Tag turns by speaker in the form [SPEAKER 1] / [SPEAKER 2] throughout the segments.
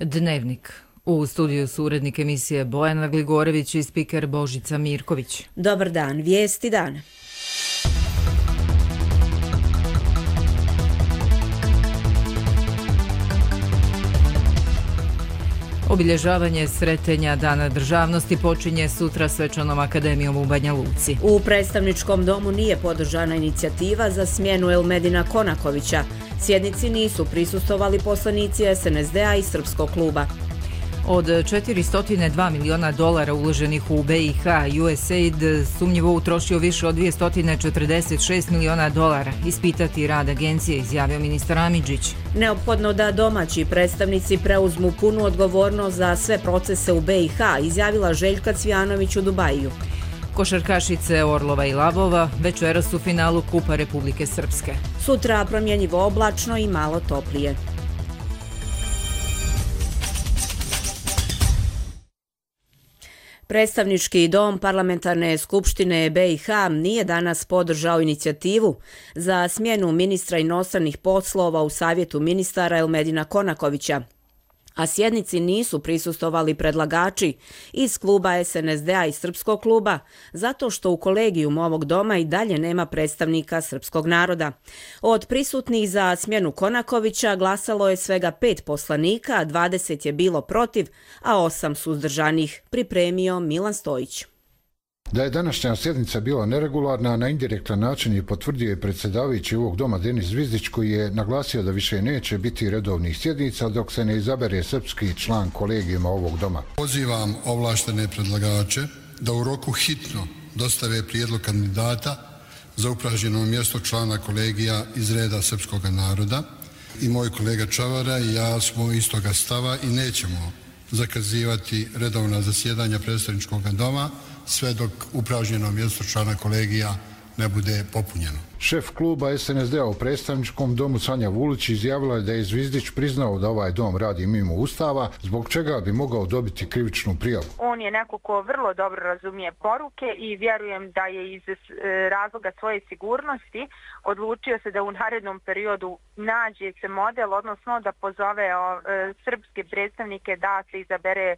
[SPEAKER 1] Dnevnik. U studiju su urednik emisije Bojana Gligorević i spiker Božica Mirković.
[SPEAKER 2] Dobar dan, vijesti dana.
[SPEAKER 1] Obilježavanje Sretenja Dana državnosti počinje sutra svečanom akademijom u Banja Luci.
[SPEAKER 2] U predstavničkom domu nije podržana inicijativa za smjenu Elmedina Konakovića. Sjednici nisu prisustvovali poslanici SNSD-a i Srpskog kluba.
[SPEAKER 1] Od $402 miliona uloženih u BiH, USAID sumnjivo utrošio više od $246 miliona. Ispitati rad agencije, izjavio ministar Amidžić.
[SPEAKER 2] Neophodno da domaći predstavnici preuzmu punu odgovornost za sve procese u BiH, izjavila Željka Cvijanović u Dubaju.
[SPEAKER 1] Košarkašice Orlova i Labova večeras u finalu Kupa Republike Srpske.
[SPEAKER 2] Sutra promjenjivo oblačno i malo toplije. Predstavnički dom Parlamentarne skupštine BiH nije danas podržao inicijativu za smjenu ministra inostranih poslova u Savjetu ministara Elmedina Konakovića, a sjednici nisu prisustvovali predlagači iz kluba SNSD-a i Srpskog kluba, zato što u kolegijum ovog doma i dalje nema predstavnika srpskog naroda. Od prisutnih za smjenu Konakovića glasalo je svega 5 poslanika, 20 je bilo protiv, a 8 suzdržanih, pripremio Milan Stojić.
[SPEAKER 3] Da je današnja sjednica bila neregularna, na indirektan način je potvrdio i predsjedavajući ovog doma Denis Zvizdić, koji je naglasio da više neće biti redovnih sjednica dok se ne izabere srpski član kolegijuma ovog doma.
[SPEAKER 4] Pozivam ovlaštene predlagače da u roku hitno dostave prijedlog kandidata za upražnjeno mjesto člana kolegija iz reda srpskog naroda. I moj kolega Čavara i ja smo istoga stava i nećemo zakazivati redovna zasjedanja predstavničkog doma sve dok upražnjeno mjesto člana kolegija ne bude popunjeno.
[SPEAKER 3] Šef kluba SNSD-a u predstavničkom domu Sanja Vulić izjavila je da je Zvizdić priznao da ovaj dom radi mimo Ustava, zbog čega bi mogao dobiti krivičnu prijavu.
[SPEAKER 5] On je neko ko vrlo dobro razumije poruke i vjerujem da je iz razloga svoje sigurnosti odlučio se da u narednom periodu nađe se model, odnosno da pozove srpske predstavnike da se izabere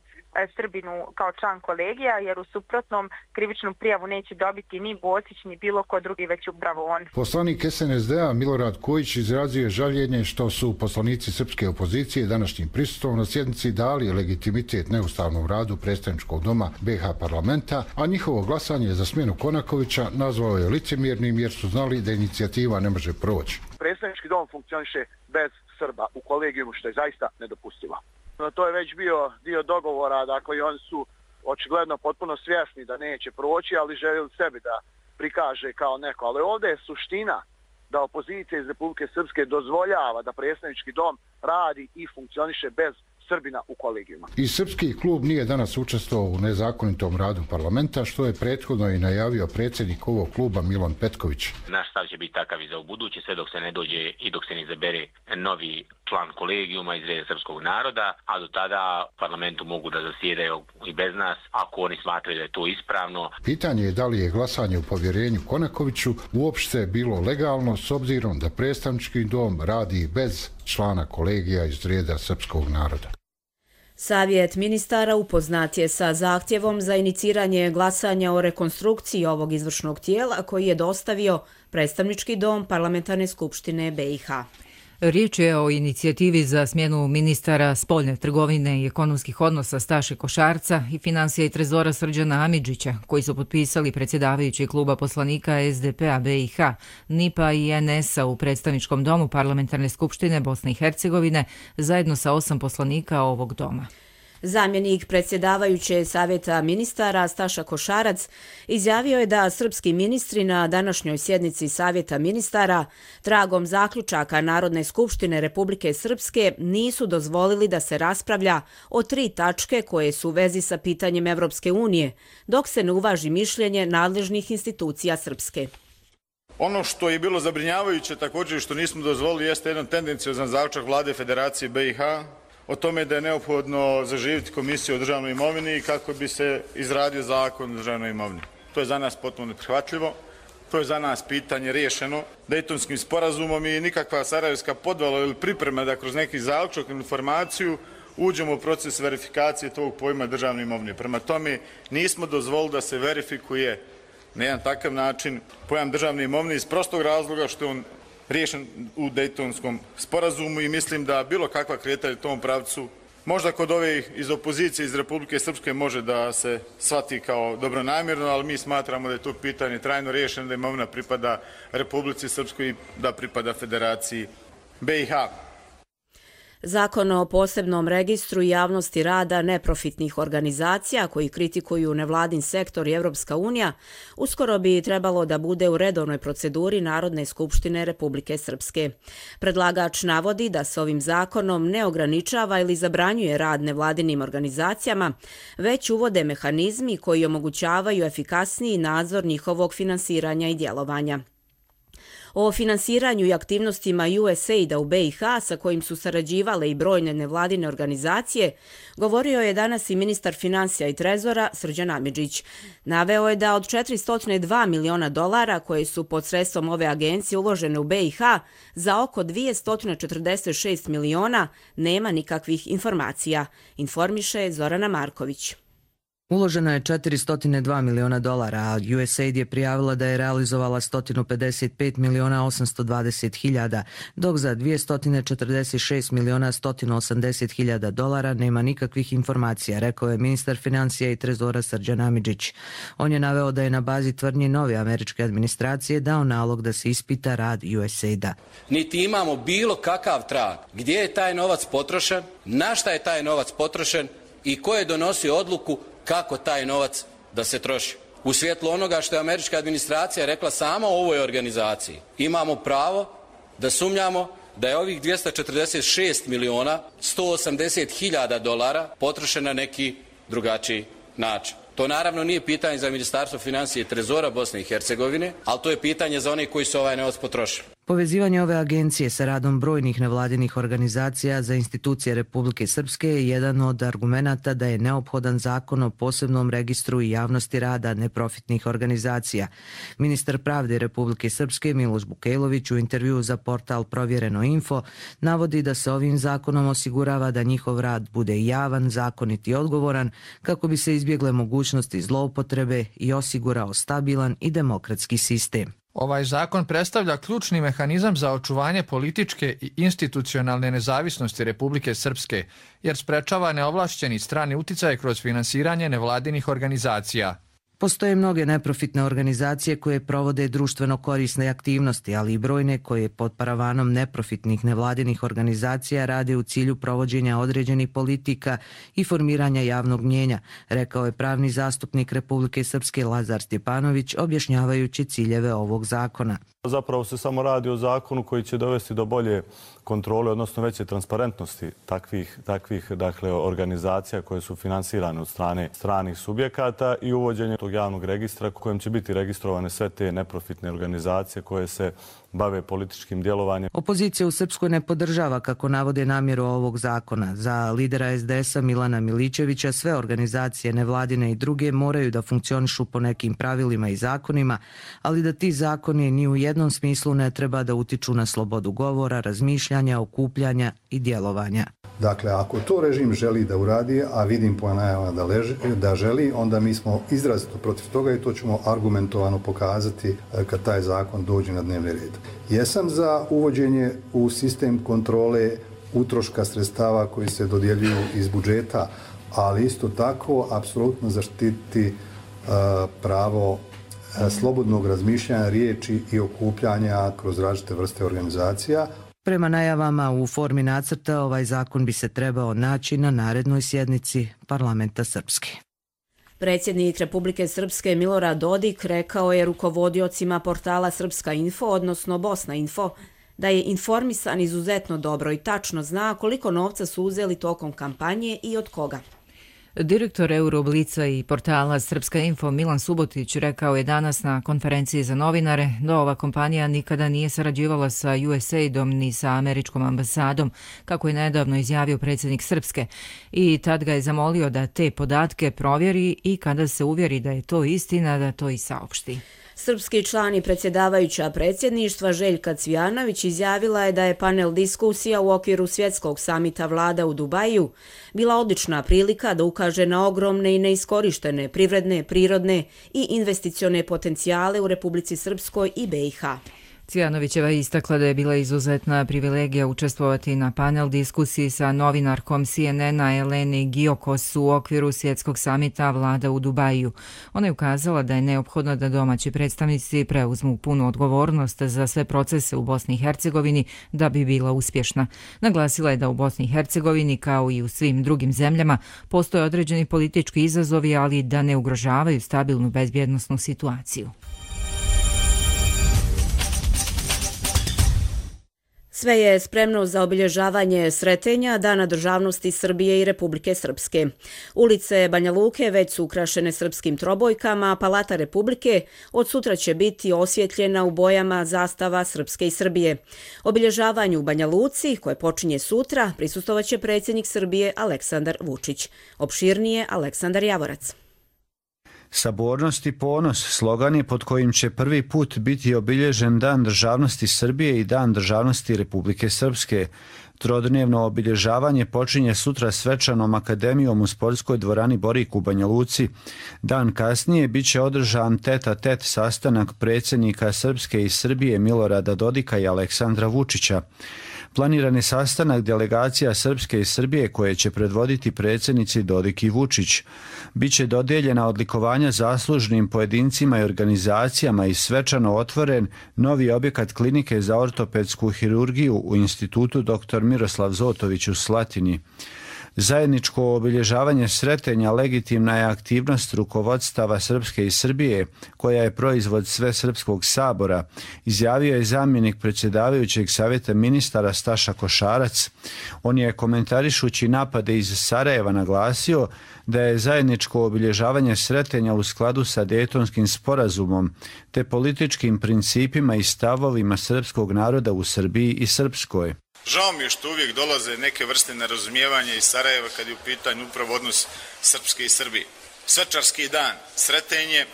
[SPEAKER 5] Srbinu kao član kolegija, jer u suprotnom krivičnu prijavu neće dobiti ni Bosić ni bilo ko drugi, već upravo on.
[SPEAKER 3] Poslanik SNSD-a Milorad Kojić izrazio žaljenje što su poslanici srpske opozicije današnjim prisustvom na sjednici dali legitimitet neustavnom radu predstavničkog doma BiH parlamenta, a njihovo glasanje za smjenu Konakovića nazvao je licemjernim jer su znali da inicijativa ne može proći.
[SPEAKER 6] Predstavnički dom funkcioniše bez Srba u kolegijumu, što je zaista nedopustivo. To je već bio dio dogovora, dakle oni su očigledno potpuno svjesni da neće proći, ali željeli sebi da prikaže kao neko. Ali ovdje je suština da opozicija iz Republike Srpske dozvoljava da predstavnički dom radi i funkcioniše bez Srbina u kolegijima.
[SPEAKER 3] I srpski klub nije danas učestvovao u nezakonitom radu parlamenta, što je prethodno i najavio predsjednik ovog kluba Milan Petković.
[SPEAKER 7] Naš stav će biti takav i za ubuduće, sve dok se ne dođe i dok se ne izabere novi član kolegijuma iz reda srpskog naroda, a do tada parlamentu mogu da zasjedaju i bez nas, ako oni smatraju da je to ispravno.
[SPEAKER 3] Pitanje je da li je glasanje u povjerenju Konakoviću uopšte bilo legalno s obzirom da predstavnički dom radi bez člana kolegija iz reda srpskog naroda.
[SPEAKER 2] Savjet ministara upoznat je sa zahtjevom za iniciranje glasanja o rekonstrukciji ovog izvršnog tijela koji je dostavio predstavnički dom Parlamentarne skupštine BiH.
[SPEAKER 1] Riječ je o inicijativi za smjenu ministara spoljne trgovine i ekonomskih odnosa Staše Košarca i financija i trezora Srđana Amidžića, koji su potpisali predsjedavajući kluba poslanika SDP-a BiH, NIP-a i NS-a u predstavničkom domu Parlamentarne skupštine Bosne i Hercegovine zajedno sa 8 poslanika ovog doma.
[SPEAKER 2] Zamjenik predsjedavajuće Savjeta ministara Staša Košarac izjavio je da srpski ministri na današnjoj sjednici Savjeta ministara tragom zaključaka Narodne skupštine Republike Srpske nisu dozvolili da se raspravlja o 3 tačke koje su u vezi sa pitanjem Evropske unije, dok se ne uvaži mišljenje nadležnih institucija Srpske.
[SPEAKER 8] Ono što je bilo zabrinjavajuće također što nismo dozvolili jeste jedan tendenciozan zaključak Vlade Federacije BiH o tome da je neophodno zaživjeti komisiju o državnoj imovini kako bi se izradio zakon o državnoj imovini. To je za nas potpuno neprihvatljivo, to je za nas pitanje riješeno Dejtonskim sporazumom i nikakva sarajevska podvala ili priprema da kroz neki zaključak informaciju uđemo u proces verifikacije tog pojma državne imovine. Prema tome, nismo dozvolili da se verifikuje na jedan takav način pojam državne imovine iz prostog razloga što je on riješen u Dejtonskom sporazumu i mislim da bilo kakva kretanja u tom pravcu možda kod ovih iz opozicije iz Republike Srpske može da se shvati kao dobronamjerno, ali mi smatramo da je to pitanje trajno riješeno, da imovina pripada Republici Srpskoj i da pripada Federaciji BiH.
[SPEAKER 2] Zakon o posebnom registru javnosti rada neprofitnih organizacija koji kritikuju nevladin sektor i Evropska unija uskoro bi trebalo da bude u redovnoj proceduri Narodne skupštine Republike Srpske. Predlagač navodi da se ovim zakonom ne ograničava ili zabranjuje rad nevladinim organizacijama, već uvode mehanizmi koji omogućavaju efikasniji nadzor njihovog finansiranja i djelovanja. O finansiranju i aktivnostima USAID-a u BiH, sa kojim su sarađivale i brojne nevladine organizacije, govorio je danas i ministar finansija i trezora Srđan Amidžić. Naveo je da od $402 miliona koje su pod sredstvom ove agencije uložene u BiH, za oko 246 miliona nema nikakvih informacija, informiše Zorana Marković.
[SPEAKER 9] Uloženo je $402 miliona, a USAID je prijavila da je realizovala 155 miliona 820 hiljada, dok za 246 miliona 180 hiljada dolara nema nikakvih informacija, rekao je ministar finansija i trezora Srđan Amidžić. On je naveo da je na bazi tvrdnji nove američke administracije dao nalog da se ispita rad USAID-a.
[SPEAKER 10] Niti imamo bilo kakav trag gdje je taj novac potrošen, na šta je taj novac potrošen i ko je donosio odluku kako taj novac da se troši. U svjetlu onoga što je američka administracija rekla sama o ovoj organizaciji, imamo pravo da sumnjamo da je ovih 246 miliona 180 hiljada dolara potrošeno na neki drugačiji način. To naravno nije pitanje za Ministarstvo financije i trezora Bosne i Hercegovine, ali to je pitanje za one koji su ovaj novac potrošili.
[SPEAKER 9] Povezivanje ove agencije sa radom brojnih nevladinih organizacija za institucije Republike Srpske je jedan od argumenata da je neophodan zakon o posebnom registru i javnosti rada neprofitnih organizacija. Ministar pravde Republike Srpske Miloš Bukejlović u intervjuu za portal Provjereno info navodi da se ovim zakonom osigurava da njihov rad bude javan, zakonit i odgovoran kako bi se izbjegle mogućnosti zloupotrebe i osigurao stabilan i demokratski sistem.
[SPEAKER 11] Ovaj zakon predstavlja ključni mehanizam za očuvanje političke i institucionalne nezavisnosti Republike Srpske, jer sprečava neovlašćeni strani uticaj kroz finansiranje nevladinih organizacija.
[SPEAKER 9] Postoje mnoge neprofitne organizacije koje provode društveno korisne aktivnosti, ali i brojne koje pod paravanom neprofitnih nevladinih organizacija rade u cilju provođenja određenih politika i formiranja javnog mnjenja, rekao je pravni zastupnik Republike Srpske Lazar Stjepanović objašnjavajući ciljeve ovog zakona.
[SPEAKER 12] Zapravo se samo radi o zakonu koji će dovesti do bolje kontrole, odnosno veće transparentnosti takvih organizacija koje su finansirane od strane stranih subjekata i uvođenje tog javnog registra kojem će biti registrovane sve te neprofitne organizacije koje se bave političkim djelovanjem.
[SPEAKER 9] Opozicija u Srpskoj ne podržava, kako navode, namjeru ovog zakona. Za lidera SDS-a Milana Milićevića sve organizacije nevladine i druge moraju da funkcionišu po nekim pravilima i zakonima, ali da ti zakoni ni u jednom smislu ne treba da utiču na slobodu govora, razmišljanja, okupljanja i djelovanja.
[SPEAKER 13] Dakle, ako to režim želi da uradi, a vidim po najavama da želi, onda mi smo izrazito protiv toga i to ćemo argumentovano pokazati kad taj zakon dođe na dnevni red. Jesam za uvođenje u sistem kontrole utroška sredstava koji se dodjeljuju iz budžeta, ali isto tako apsolutno zaštiti pravo slobodnog razmišljanja, riječi i okupljanja kroz različite vrste organizacija.
[SPEAKER 9] Prema najavama u formi nacrta ovaj zakon bi se trebao naći na narednoj sjednici Parlamenta Srpske.
[SPEAKER 2] Predsjednik Republike Srpske Milorad Dodik rekao je rukovodiocima portala Srpska info, odnosno Bosna info, da je informisan izuzetno dobro i tačno zna koliko novca su uzeli tokom kampanje i od koga.
[SPEAKER 1] Direktor Euroblica i portala Srpska info Milan Subotić rekao je danas na konferenciji za novinare da ova kompanija nikada nije sarađivala sa USAID-om ni sa američkom ambasadom, kako je nedavno izjavio predsjednik Srpske, i tad ga je zamolio da te podatke provjeri i kada se uvjeri da je to istina, da to i saopšti.
[SPEAKER 2] Srpski član i predsjedavajuća predsjedništva Željka Cvijanović izjavila je da je panel diskusija u okviru svjetskog samita vlada u Dubaju bila odlična prilika da ukaže na ogromne i neiskorištene privredne, prirodne i investicione potencijale u Republici Srpskoj i BiH.
[SPEAKER 1] Cvijanovićeva je istakla da je bila izuzetna privilegija učestvovati na panel diskusiji sa novinarkom CNN-a Eleni Giokos u okviru svjetskog samita vlada u Dubaju. Ona je ukazala da je neophodno da domaći predstavnici preuzmu punu odgovornost za sve procese u Bosni i Hercegovini da bi bila uspješna. Naglasila je da u Bosni i Hercegovini, kao i u svim drugim zemljama, postoje određeni politički izazovi, ali da ne ugrožavaju stabilnu bezbjednosnu situaciju.
[SPEAKER 2] Sve je spremno za obilježavanje Sretenja, Dana državnosti Srbije i Republike Srpske. Ulice Banja Luke već su ukrašene srpskim trobojkama, a Palata Republike od sutra će biti osvjetljena u bojama zastava Srpske i Srbije. Obilježavanju u Banja Luci, koje počinje sutra, prisustvovaće predsjednik Srbije Aleksandar Vučić. Opširnije Aleksandar Javorac.
[SPEAKER 14] Sabornost i ponos slogan je pod kojim će prvi put biti obilježen Dan državnosti Srbije i Dan državnosti Republike Srpske. Trodnevno obilježavanje počinje sutra svečanom akademijom u sportskoj dvorani Borik u Banja Luci. Dan kasnije bit će održan tet-a-tet sastanak predsjednika Srpske i Srbije Milorada Dodika i Aleksandra Vučića. Planiran je sastanak delegacija Srpske i Srbije koje će predvoditi predsjednici Dodik i Vučić. Biće dodijeljena odlikovanja zaslužnim pojedincima i organizacijama i svečano otvoren novi objekat klinike za ortopedsku hirurgiju u Institutu dr. Miroslav Zotović u Slatini. Zajedničko obilježavanje Sretenja legitimna je aktivnost rukovodstava Srpske i Srbije, koja je proizvod Svesrpskog sabora, izjavio je zamjenik predsjedavajućeg savjeta ministara Staša Košarac. On je komentarišući napade iz Sarajeva naglasio da je zajedničko obilježavanje Sretenja u skladu sa Dejtonskim sporazumom te političkim principima i stavovima srpskog naroda u Srbiji i Srpskoj.
[SPEAKER 8] Žao mi je što uvijek dolaze neke vrste nerazumijevanja iz Sarajeva kad je u pitanju upravo odnos Srpske i Srbije. Svečarski dan Sretenje,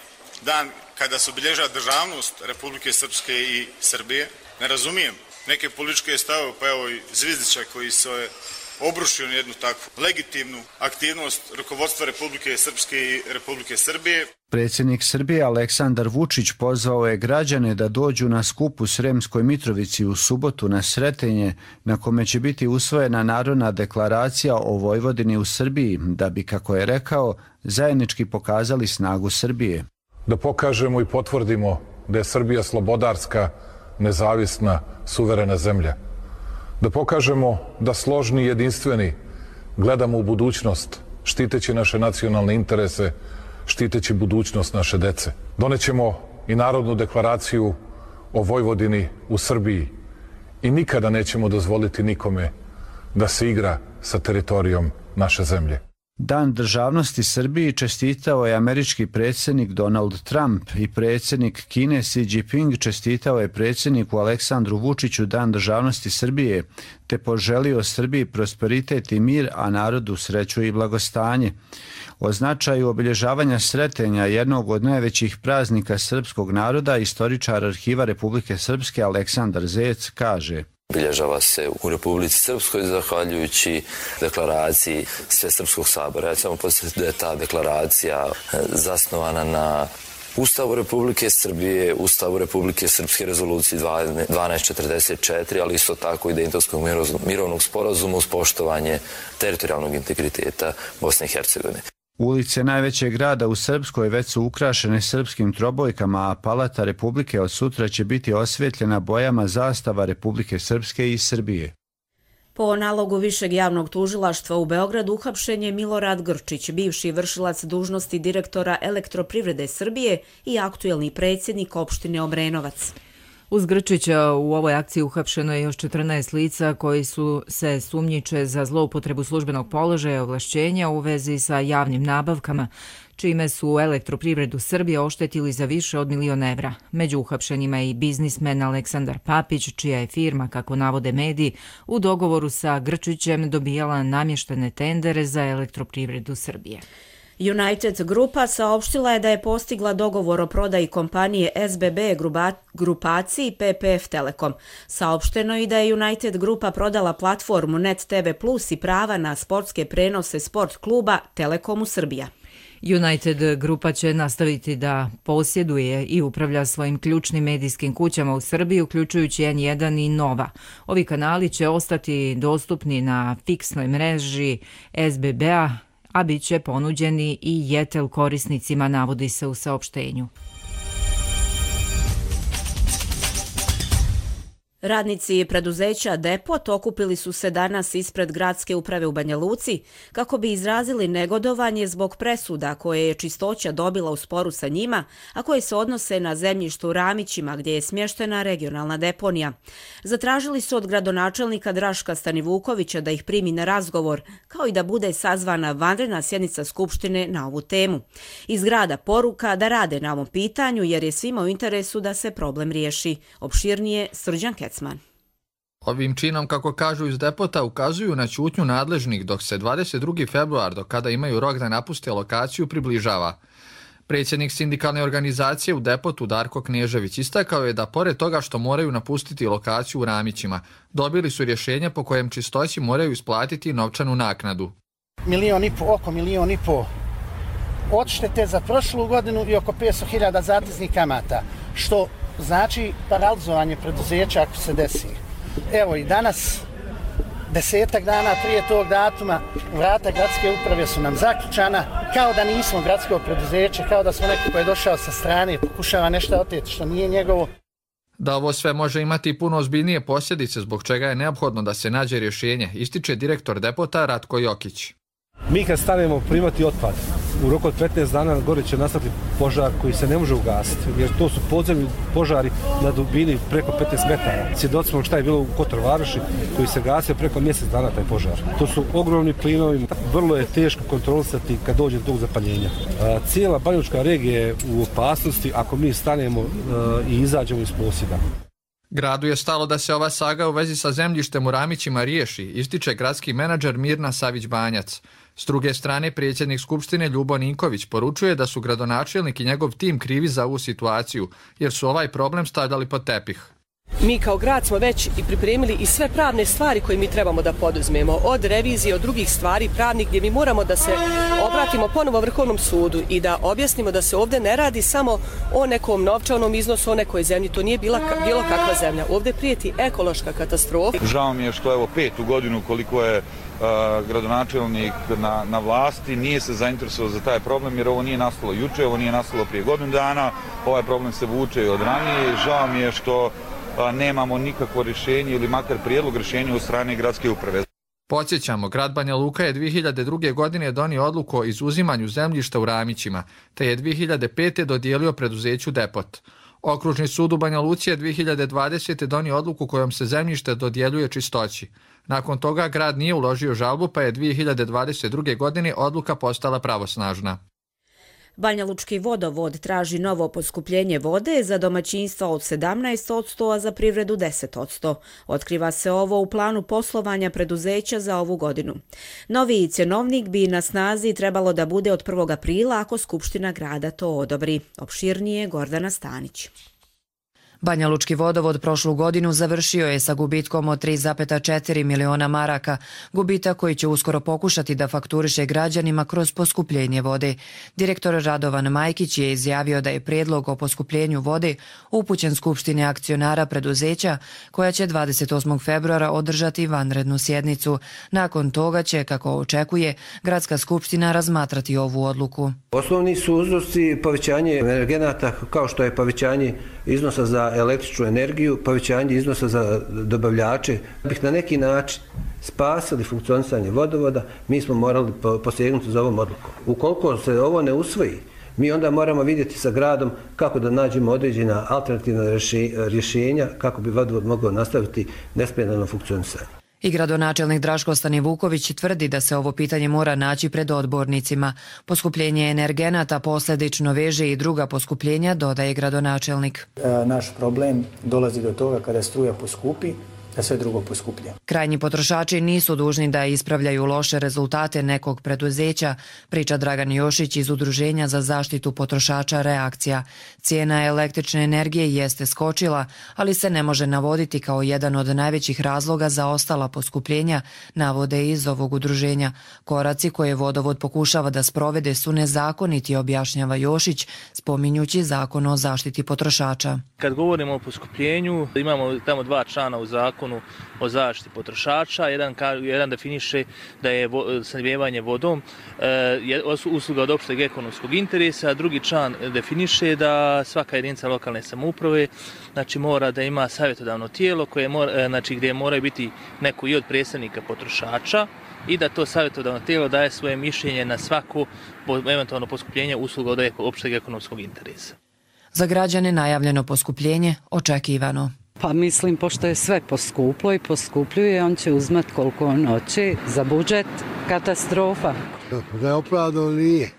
[SPEAKER 8] dan kada se obilježava državnost Republike Srpske i Srbije. Ne razumijem neke političke stavove, pa evo i Zvizdića koji se obrušio na jednu takvu legitimnu aktivnost rukovodstva Republike Srpske i Republike Srbije.
[SPEAKER 14] Predsjednik Srbije Aleksandar Vučić pozvao je građane da dođu na skup u Sremskoj Mitrovici u subotu na Sretenje, na kome će biti usvojena Narodna deklaracija o Vojvodini u Srbiji, da bi, kako je rekao, zajednički pokazali snagu Srbije.
[SPEAKER 15] Da pokažemo i potvrdimo da je Srbija slobodarska, nezavisna, suverena zemlja. Da pokažemo da složni i jedinstveni gledamo u budućnost, štiteći naše nacionalne interese, štiteći budućnost naše dece. Donećemo i Narodnu deklaraciju o Vojvodini u Srbiji i nikada nećemo dozvoliti nikome da se igra sa teritorijom naše zemlje.
[SPEAKER 14] Dan državnosti Srbiji čestitao je američki predsjednik Donald Trump i predsjednik Kine Xi Jinping čestitao je predsjedniku Aleksandru Vučiću Dan državnosti Srbije, te poželio Srbiji prosperitet i mir, a narodu sreću i blagostanje. O značaju obilježavanja Sretenja, jednog od najvećih praznika srpskog naroda, istoričar Arhiva Republike Srpske Aleksandar Zec kaže:
[SPEAKER 16] Obilježava se u Republici Srpskoj zahvaljujući deklaraciji Svesrpskog sabora. Ja ću samo podsjetiti da je ta deklaracija zasnovana na Ustavu Republike Srbije, Ustavu Republike Srpske, rezoluciji 1244, ali isto tako i Dejtonskog mirovnog sporazuma uz poštovanje teritorijalnog integriteta Bosne i Hercegovine.
[SPEAKER 14] Ulice najvećeg grada u Srpskoj već su ukrašene srpskim trobojkama, a Palata Republike od sutra će biti osvjetljena bojama zastava Republike Srpske i Srbije.
[SPEAKER 2] Po nalogu Višeg javnog tužilaštva u Beogradu uhapšen je Milorad Grčić, bivši vršilac dužnosti direktora Elektroprivrede Srbije i aktuelni predsjednik opštine Obrenovac.
[SPEAKER 1] Uz Grčića u ovoj akciji uhapšeno je još 14 lica koji su se sumnjiče za zloupotrebu službenog položaja i ovlašćenja u vezi sa javnim nabavkama, čime su Elektroprivredu Srbije oštetili za više od 1 milion evra. Među uhapšenima je i biznismen Aleksandar Papić, čija je firma, kako navode mediji, u dogovoru sa Grčićem dobijala namještene tendere za Elektroprivredu Srbije.
[SPEAKER 2] United Grupa saopštila je da je postigla dogovor o prodaji kompanije SBB grupaciji PPF Telekom. Saopšteno je i da je United Grupa prodala platformu Net TV Plus i prava na sportske prenose sport kluba Telekomu Srbija.
[SPEAKER 1] United Grupa će nastaviti da posjeduje i upravlja svojim ključnim medijskim kućama u Srbiji, uključujući N1 i Nova. Ovi kanali će ostati dostupni na fiksnoj mreži SBB-a, a bit će ponuđeni i Jetel korisnicima, navodi se u saopštenju.
[SPEAKER 2] Radnici preduzeća Depot okupili su se danas ispred gradske uprave u Banja Luci kako bi izrazili negodovanje zbog presuda koje je Čistoća dobila u sporu sa njima, a koje se odnose na zemljištu u Ramićima gdje je smještena regionalna deponija. Zatražili su od gradonačelnika Draška Stanivukovića da ih primi na razgovor, kao i da bude sazvana vanredna sjednica Skupštine na ovu temu. Iz grada poruka da rade na ovom pitanju jer je svima u interesu da se problem riješi. Opširnije Srđan Kecman.
[SPEAKER 11] Ovim činom, kako kažu iz Depota, ukazuju na ćutnju nadležnih dok se 22. februar, do kada imaju rok da napuste lokaciju, približava. Predsjednik sindikalne organizacije u Depotu Darko Knežević istakao je da pored toga što moraju napustiti lokaciju u Ramićima, dobili su rješenje po kojem Čistoći moraju isplatiti novčanu naknadu.
[SPEAKER 17] Oko 1,5 miliona odštete za prošlu godinu i oko 500.000 zateznih kamata, što znači paralizovanje preduzeća ako se desi. Evo i danas, 10 dana prije tog datuma, vrata gradske uprave su nam zaključana, kao da nismo gradsko preduzeće, kao da smo neko ko je došao sa strane i pokušava nešto oteti što nije njegovo.
[SPEAKER 11] Da ovo sve može imati puno ozbiljnije posljedice, zbog čega je neophodno da se nađe rješenje, ističe direktor Depota Ratko Jokić.
[SPEAKER 18] Mi kad stanemo primati otpad, u roku od 15 dana gore će nastati požar koji se ne može ugasiti, jer to su podzemni požari na dubini preko 15 metara. Svjedoci smo šta je bilo u Kotor Varoši koji se gasio preko mjesec dana taj požar. To su ogromni plinovi, vrlo je teško kontrolisati kad dođe do tog zapaljenja. Cijela Banjalučka regija je u opasnosti ako mi stanemo i izađemo iz posjeda.
[SPEAKER 11] Gradu je stalo da se ova saga u vezi sa zemljištem u Ramićima riješi, ističe gradski menadžer Mirna Savić-Banjac. S druge strane, predsjednik Skupštine Ljubo Ninković poručuje da su gradonačelnik i njegov tim krivi za ovu situaciju, jer su ovaj problem stavljali pod tepih.
[SPEAKER 19] Mi kao grad smo već i pripremili i sve pravne stvari koje mi trebamo da poduzmemo, od revizije, od drugih stvari pravnih gdje mi moramo da se obratimo ponovo Vrhovnom sudu i da objasnimo da se ovdje ne radi samo o nekom novčanom iznosu, o nekoj zemlji, to nije bilo kakva zemlja. Ovdje prijeti ekološka katastrofa.
[SPEAKER 20] Žao mi je što evo 5. godinu koliko je gradonačelnik na vlasti, nije se zainteresovao za taj problem jer ovo nije nastalo juče, ovo nije nastalo prije godinu dana, ovaj problem se vuče od ranije. Žao mi je što nemamo nikakvo rješenje ili makar prijedlog rješenja od strane gradske uprave.
[SPEAKER 11] Podsjećamo, grad Banja Luka je 2002. godine donio odluku o izuzimanju zemljišta u Ramićima, te je 2005. dodijelio preduzeću Depot. Okružni sud u Banja Luci je 2020. donio odluku kojom se zemljište dodjeljuje Čistoći. Nakon toga grad nije uložio žalbu, pa je 2022. godine odluka postala pravosnažna.
[SPEAKER 2] Banjalučki vodovod traži novo poskupljenje vode za domaćinstva od 17%, a za privredu 10%. Otkriva se ovo u planu poslovanja preduzeća za ovu godinu. Novi cjenovnik bi na snazi trebalo da bude od 1. aprila ako Skupština grada to odobri. Opširnije Gordana Stanić.
[SPEAKER 21] Banjalučki vodovod prošlu godinu završio je sa gubitkom od 3,4 miliona maraka, gubitak koji će uskoro pokušati da fakturiše građanima kroz poskupljenje vode. Direktor Radovan Majkić je izjavio da je prijedlog o poskupljenju vode upućen Skupštini akcionara preduzeća, koja će 28. februara održati vanrednu sjednicu. Nakon toga će, kako očekuje, Gradska skupština razmatrati ovu odluku.
[SPEAKER 22] Osnovni su uzroci povećanje energenata, kao što je povećanje iznosa za električnu energiju, povećanje iznosa za dobavljače. Da bih na neki način spasili funkcionisanje vodovoda, mi smo morali posegnuti za ovom odlukom. Ukoliko se ovo ne usvoji, mi onda moramo vidjeti sa gradom kako da nađemo određena alternativna rješenja kako bi vodovod mogao nastaviti nesmetano funkcionisanje.
[SPEAKER 21] I gradonačelnik Draško Stanivuković tvrdi da se ovo pitanje mora naći pred odbornicima. Poskupljenje energenata posljedično veže i druga poskupljenja, dodaje gradonačelnik.
[SPEAKER 23] Naš problem dolazi do toga kada struja poskupi,
[SPEAKER 4] da sve drugo poskuplje.
[SPEAKER 21] Krajnji potrošači nisu dužni da ispravljaju loše rezultate nekog preduzeća, priča Dragan Jošić iz Udruženja za zaštitu potrošača Reakcija. Cijena električne energije jeste skočila, ali se ne može navoditi kao jedan od najvećih razloga za ostala poskupljenja, navode iz ovog udruženja. Koraci koje vodovod pokušava da sprovede su nezakoniti, objašnjava Jošić, spominjući zakon o zaštiti potrošača.
[SPEAKER 5] Kad govorimo o poskupljenju, imamo tamo dva člana u zakonu o zaštiti potrošača. Jedan definiše da je snabdijevanje vodom usluga od opšteg ekonomskog interesa, a drugi član definiše da svaka jedinica lokalne samouprave mora da ima savjetodavno tijelo gdje moraju biti neko i od predstavnika potrošača i da to savjetodavno tijelo daje svoje mišljenje na svako eventualno poskupljenje usluga od opšteg ekonomskog interesa.
[SPEAKER 21] Za građane najavljeno poskupljenje očekivano.
[SPEAKER 23] Pa mislim, pošto je sve poskuplo i poskupljuje, on će uzmat koliko on hoće. Za budžet katastrofa.
[SPEAKER 24] Neopravdano nije.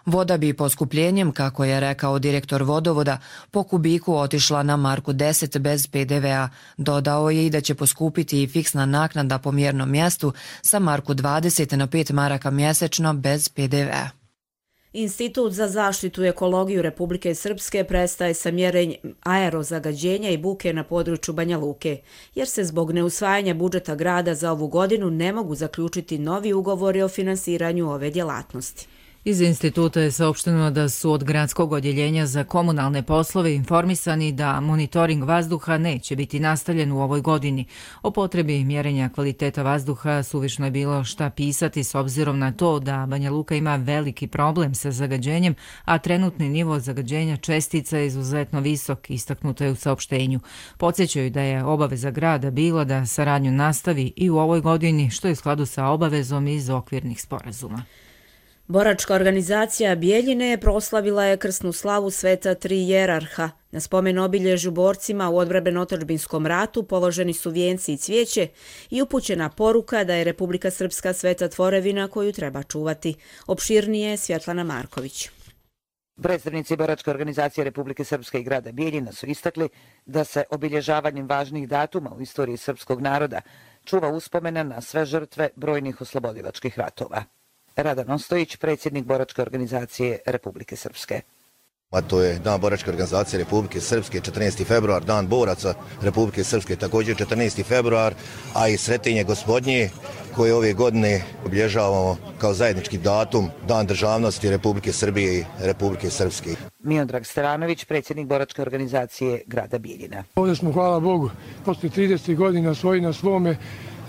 [SPEAKER 21] Voda bi poskupljenjem, kako je rekao direktor vodovoda, po kubiku otišla na marku 10 bez PDV-a. Dodao je i da će poskupiti i fiksna naknada po mjernom mjestu sa marku 20 na 5 maraka mjesečno bez PDV-a.
[SPEAKER 2] Institut za zaštitu i ekologiju Republike Srpske prestaje sa mjerenjem aerozagađenja i buke na području Banja Luke, jer se zbog neusvajanja budžeta grada za ovu godinu ne mogu zaključiti novi ugovori o finansiranju ove djelatnosti.
[SPEAKER 1] Iz instituta je saopšteno da su od gradskog odjeljenja za komunalne poslove informisani da monitoring vazduha neće biti nastavljen u ovoj godini. O potrebi mjerenja kvaliteta vazduha suvišno je bilo šta pisati s obzirom na to da Banja Luka ima veliki problem sa zagađenjem, a trenutni nivo zagađenja čestica je izuzetno visok, istaknuto je u saopštenju. Podsjećaju da je obaveza grada bila da saradnju nastavi i u ovoj godini, što je u skladu sa obavezom iz okvirnih sporazuma.
[SPEAKER 2] Boračka organizacija Bijeljine proslavila je krsnu slavu Sveta Tri Jerarha. Na spomen obilježju borcima u odbrambeno-otadžbinskom ratu položeni su vijenci i cvijeće i upućena poruka da je Republika Srpska sveta tvorevina koju treba čuvati. Opširnije Svjetlana Marković.
[SPEAKER 25] Predstavnici Boračke organizacije Republike Srpske i grada Bijeljina su istakli da se obilježavanjem važnih datuma u istoriji srpskog naroda čuva uspomena na sve žrtve brojnih oslobodilačkih ratova. Radan Ostojić, predsjednik Boračke organizacije Republike Srpske.
[SPEAKER 26] A to je Dan Boračke organizacije Republike Srpske, 14. februar, Dan boraca Republike Srpske, također 14. februar, a i Svetinje Gospodnje, koje ove godine obilježavamo kao zajednički datum, Dan državnosti Republike Srbije i Republike Srpske.
[SPEAKER 25] Miodrag Stevanović, predsjednik Boračke organizacije grada Bijeljina.
[SPEAKER 27] Ovdje smo, hvala Bogu, posle 30 godina svoji na svome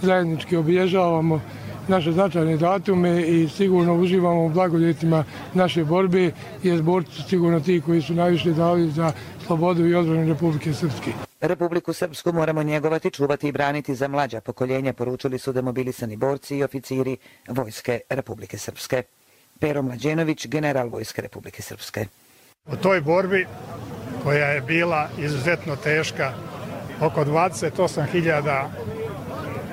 [SPEAKER 27] zajednički obilježavamo naše značajne datume i sigurno uživamo u blagodetima naše borbe, jer borci su sigurno ti koji su najviše dali za slobodu i odbranu Republike Srpske.
[SPEAKER 25] Republiku Srpsku moramo njegovati, čuvati i braniti za mlađa pokoljenja, poručili su demobilisani borci i oficiri Vojske Republike Srpske. Pero Mlađenović, general Vojske Republike Srpske.
[SPEAKER 28] U toj borbi, koja je bila izuzetno teška, oko 28.000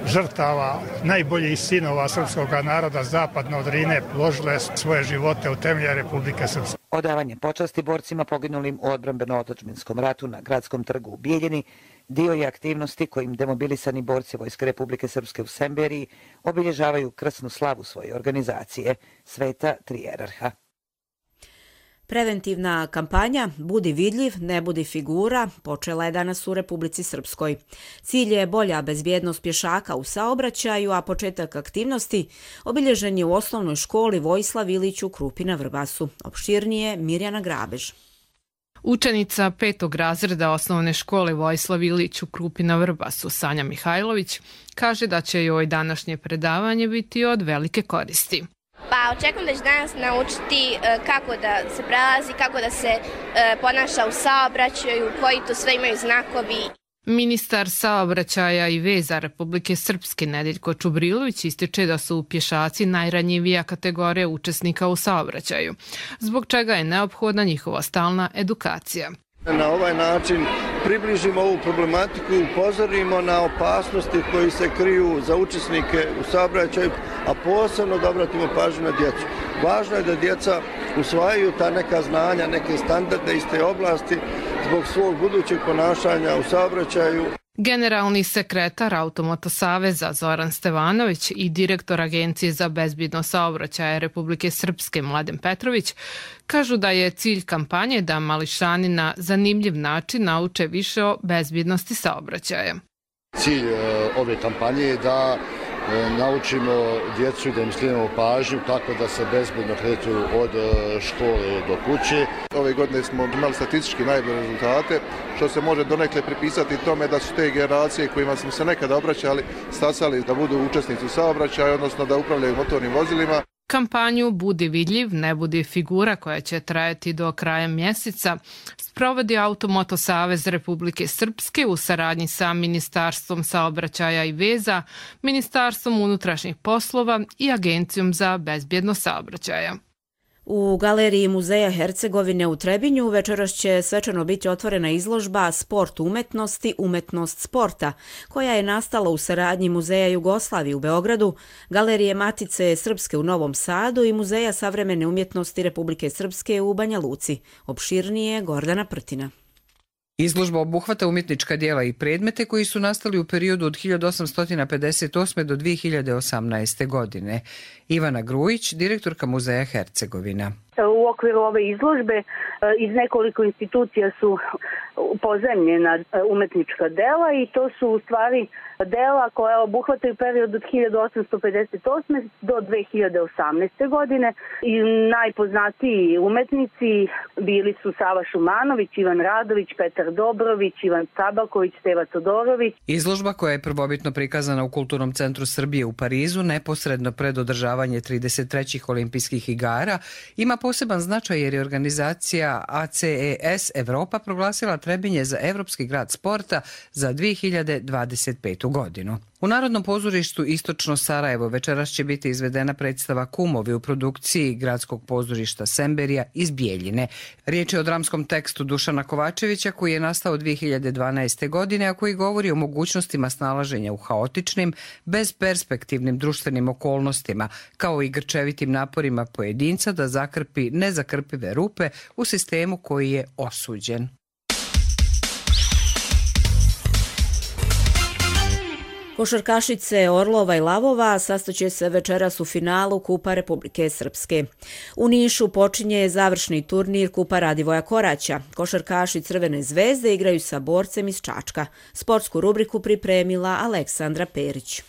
[SPEAKER 28] žrtava, najboljih sinova srpskog naroda zapadno od Drine položile svoje živote u temelje Republike Srpske.
[SPEAKER 25] Odavanje počasti borcima poginulim u odbrambeno-otadžbinskom ratu na Gradskom trgu u Bijeljini dio je aktivnosti kojim demobilisani borci Vojske Republike Srpske u Semberiji obilježavaju krsnu slavu svoje organizacije Sveta Tri Jerarha.
[SPEAKER 2] Preventivna kampanja Budi vidljiv, ne budi figura počela je danas u Republici Srpskoj. Cilj je bolja bezbjednost pješaka u saobraćaju, a početak aktivnosti obilježen je u osnovnoj školi Vojislav Ilić u Krupi na Vrbasu. Opširnije Mirjana Grabež.
[SPEAKER 29] Učenica 5. razreda osnovne škole Vojislav Ilić u Krupi na Vrbasu, Sanja Mihajlović, kaže da će joj današnje predavanje biti od velike koristi.
[SPEAKER 30] Pa očekujem da će danas naučiti kako da se prelazi, kako da se ponaša u saobraćaju, koji to sve imaju znakovi.
[SPEAKER 29] Ministar saobraćaja i veza Republike Srpske Nedeljko Čubrilović ističe da su pješaci najranjivija kategorija učesnika u saobraćaju, zbog čega je neophodna njihova stalna edukacija.
[SPEAKER 31] Na ovaj način približimo ovu problematiku i upozorimo na opasnosti koji se kriju za učesnike u saobraćaju, a posebno da obratimo pažnju na djecu. Važno je da djeca usvajaju ta neka znanja, neke standarde iz te oblasti zbog svog budućeg ponašanja u saobraćaju.
[SPEAKER 29] Generalni sekretar Automoto saveza Zoran Stevanović i direktor Agencije za bezbjednost saobraćaja Republike Srpske Mladen Petrović kažu da je cilj kampanje da mališani na zanimljiv način nauče više o bezbjednosti saobraćaja.
[SPEAKER 3] Cilj ove kampanje je da naučimo djecu i da im skrenemo pažnju kako da se bezbedno kreću od škole do kuće.
[SPEAKER 31] Ove godine smo imali statistički najbolje rezultate, što se može donekle pripisati tome da su te generacije kojima smo se nekada obraćali stasali da budu učesnici u saobraćaju, odnosno da upravljaju motornim vozilima.
[SPEAKER 29] Kampanju Budi vidljiv, ne budi figura koja će trajati do kraja mjeseca sprovodi Automoto savez Republike Srpske u saradnji sa Ministarstvom saobraćaja i veza, Ministarstvom unutrašnjih poslova i Agencijom za bezbjednost saobraćaja.
[SPEAKER 2] U Galeriji Muzeja Hercegovine u Trebinju večeras će svečano biti otvorena izložba Sport umetnosti, umetnost sporta, koja je nastala u saradnji Muzeja Jugoslavije u Beogradu, Galerije Matice Srpske u Novom Sadu i Muzeja savremene umjetnosti Republike Srpske u Banja Luci. Opširnije Gordana Prtina.
[SPEAKER 4] Izložba obuhvata umjetnička djela i predmete koji su nastali u periodu od 1858. do 2018. godine. Ivana Grujić, direktorka Muzeja Hercegovina.
[SPEAKER 6] U okviru ove izložbe iz nekoliko institucija su pozemljena umetnička dela i to su u stvari dela koja obuhvataju period od 1858. do 2018. godine i najpoznatiji umetnici bili su Sava Šumanović, Ivan Radović, Petar Dobrović, Ivan Cabaković, Steva Todorović.
[SPEAKER 4] Izložba koja je prvobitno prikazana u Kulturnom centru Srbije u Parizu neposredno pred održavanje 33. olimpijskih igara ima poseban značaj jer je organizacija ACES Evropa proglasila Trebinje za Evropski grad sporta za 2025. godinu. U Narodnom pozorištu Istočno Sarajevo večeras će biti izvedena predstava Kumovi u produkciji Gradskog pozorišta Semberija iz Bijeljine. Riječ je o dramskom tekstu Dušana Kovačevića koji je nastao 2012. godine, a koji govori o mogućnostima snalaženja u haotičnim, bezperspektivnim društvenim okolnostima, kao i grčevitim naporima pojedinca da zakrpi nezakrpive rupe u sistemu koji je osuđen.
[SPEAKER 2] Košarkašice Orlova i Lavova sastaće se večeras u finalu Kupa Republike Srpske. U Nišu počinje završni turnir Kupa Radivoja Koraća. Košarkaši Crvene zvezde igraju sa borcem iz Čačka. Sportsku rubriku pripremila Aleksandra Perić.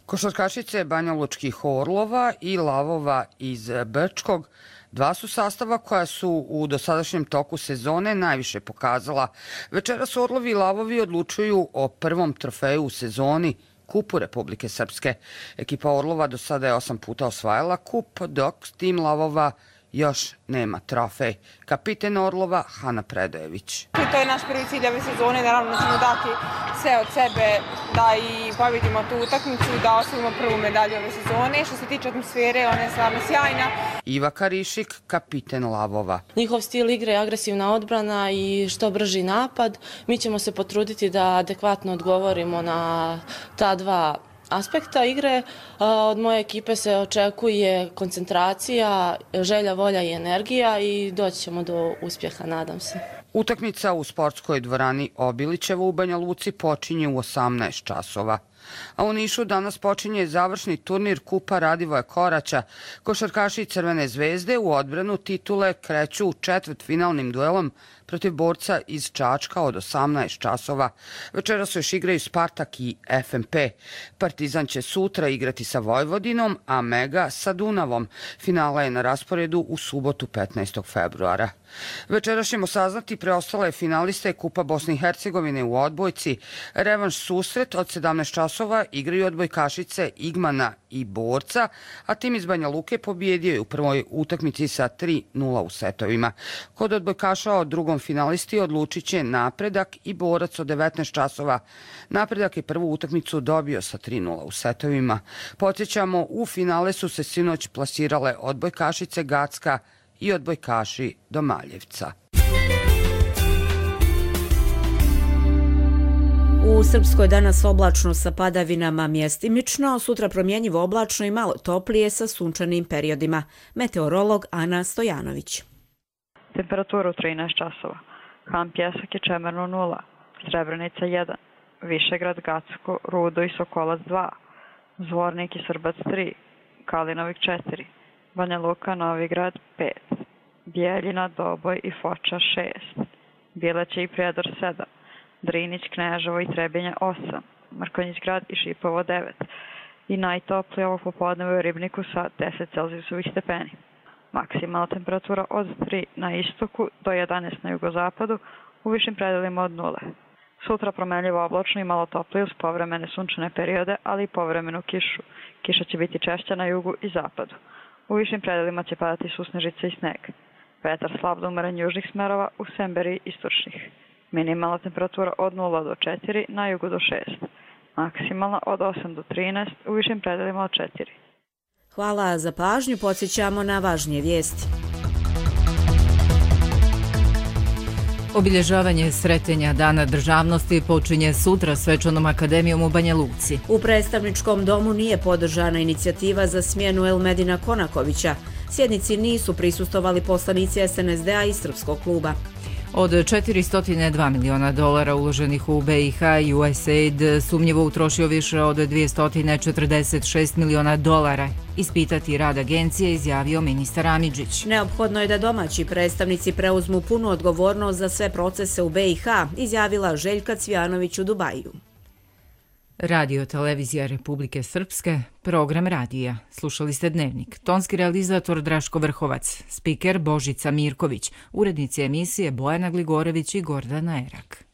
[SPEAKER 7] Košarkašice banjalučkih Orlova i Lavova iz Brčkog dva su sastava koja su u dosadašnjem toku sezone najviše pokazala. Večeras Orlovi i Lavovi odlučuju o prvom trofeju u sezoni, Kupu Republike Srpske. Ekipa Orlova do sada je 8 puta osvajala kup, dok tim Lavova još nema trofej. Kapiten Orlova Hana Predojević.
[SPEAKER 8] To je naš prvi cilj ove sezone, naravno da ćemo dati sve od sebe da i pobjedimo tu utakmicu, da osvojimo prvu medalju ove sezone. Što se tiče atmosfere, ona je stvarno sjajna.
[SPEAKER 7] Iva Karišik, kapiten Lavova.
[SPEAKER 9] Njihov stil igre je agresivna odbrana i što brži napad. Mi ćemo se potruditi da adekvatno odgovorimo na ta dva aspekta igre. Od moje ekipe se očekuje koncentracija, želja, volja i energija i doći ćemo do uspjeha, nadam se.
[SPEAKER 7] Utakmica u sportskoj dvorani Obilićevo u Banja Luci počinje u 18 časova. A u Nišu danas počinje završni turnir Kupa Radivoja Koraća. Košarkaši Crvene zvezde u odbranu titule kreću četvrtfinalnim duelom protiv borca iz Čačka od 18 časova. Večera se još igraju Spartak i FNP. Partizan će sutra igrati sa Vojvodinom, a Mega sa Dunavom. Finala je na rasporedu u subotu 15. februara. Večera ćemo saznati preostale finaliste Kupa Bosne i Hercegovine u odbojci. Revanš susret od 17 časova igraju odbojkašice Igmana i Borca, a tim iz Banja Luke pobijedio je u prvoj utakmici sa 3-0 u setovima. Kod odbojkaša od drugom finalisti odlučit će Napredak i Borac od 19 časova. Napredak je prvu utakmicu dobio sa 3-0 u setovima. Podsjećamo, u finale su se sinoć plasirale odbojkašice Gacka i odbojkaši Domaljevca.
[SPEAKER 2] U Srpskoj danas oblačno sa padavinama mjestimično, sutra promjenjivo oblačno i malo toplije sa sunčanim periodima. Meteorolog Ana Stojanović.
[SPEAKER 10] Temperatura u 13 časova. Han Pjesak je Čemerno 0, Srebrenica 1, Višegrad, Gacko, Rudo i Sokolac 2, Zvornik i Srbac 3, Kalinovik 4, Banja Luka, Novigrad 5, Bijeljina, Doboj i Foča 6, Bileće i Prijedor 7, Drinić, Kneževo i Trebinje 8, Mrkonjić grad i Šipovo 9 i najtoplije ovog popodneva u Ribniku sa 10 Celzijusovih stepeni. Maksimalna temperatura od 3 na istoku do 11 na jugozapadu, u višim predelima od 0. Sutra promenljivo oblačno i malo toplije uz povremene sunčane periode, ali i povremenu kišu. Kiša će biti češća na jugu i zapadu. U višim predelima će padati susnežice i sneg. Vetar slab do umeren južnih smerova, u Semberiji istočnih. Minimalna temperatura od 0 do 4, na jugu do 6. Maksimalna od 8 do 13, u višim predelima od 4.
[SPEAKER 2] Hvala za pažnju, podsjećamo na važnije vijesti.
[SPEAKER 1] Obilježavanje Sretenja Dana državnosti počinje sutra svečanom akademijom u Banja Luci.
[SPEAKER 2] U predstavničkom domu nije podržana inicijativa za smjenu Elmedina Konakovića. Sjednici nisu prisustovali poslanici SNSD-a i Srpskog kluba.
[SPEAKER 1] Od $402 miliona uloženih u BiH, USAID sumnjivo utrošio više od $246 miliona. Ispitati rad agencije, izjavio ministar Amidžić.
[SPEAKER 2] Neophodno je da domaći predstavnici preuzmu punu odgovornost za sve procese u BiH, izjavila Željka Cvijanović u Dubaju.
[SPEAKER 1] Radio Televizija Republike Srpske, program radija. Slušali ste Dnevnik. Tonski realizator Draško Vrhovac, spiker Božica Mirković, urednici emisije Bojana Gligorević i Gordana Erak.